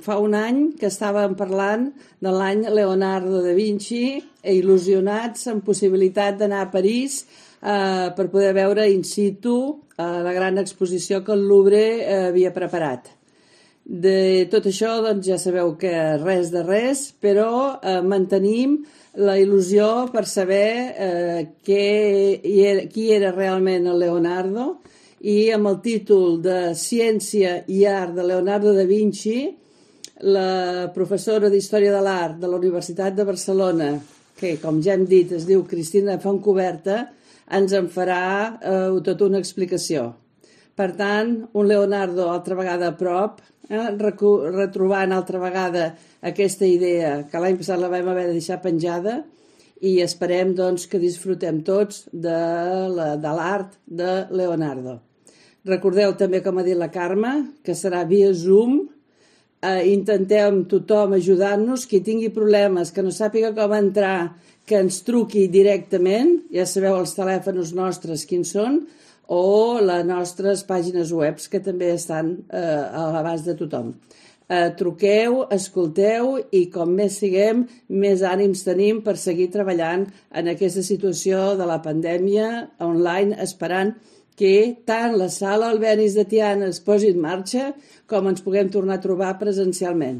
Fa un any que estàvem parlant de l'any Leonardo da Vinci i il·lusionats amb possibilitat d'anar a París per poder veure in situ la gran exposició que el Louvre havia preparat. De tot això doncs, ja sabeu que res de res, però mantenim la il·lusió per saber qui era realment el Leonardo, i amb el títol de Ciència i Art de Leonardo da Vinci, la professora d'Història de l'Art de la Universitat de Barcelona, que com ja hem dit es diu Cristina Fontcuberta, ens en farà tota una explicació. Per tant, un Leonardo altra vegada a prop, retrobant altra vegada aquesta idea que l'any passat la vam haver de deixar penjada, i esperem doncs, que disfrutem tots de l'art de Leonardo. Recordeu també, com ha dit la Carme, que serà via Zoom. Intentem tothom ajudar-nos. Qui tingui problemes, que no sàpiga com entrar, que ens truqui directament. Ja sabeu els telèfons nostres quins són, o les nostres pàgines web, que també estan a l'abast de tothom. Truqueu, escolteu, i com més siguem, més ànims tenim per seguir treballant en aquesta situació de la pandèmia online, esperant que tant la sala Albéniz de Tiana es posi en marxa com ens puguem tornar a trobar presencialment.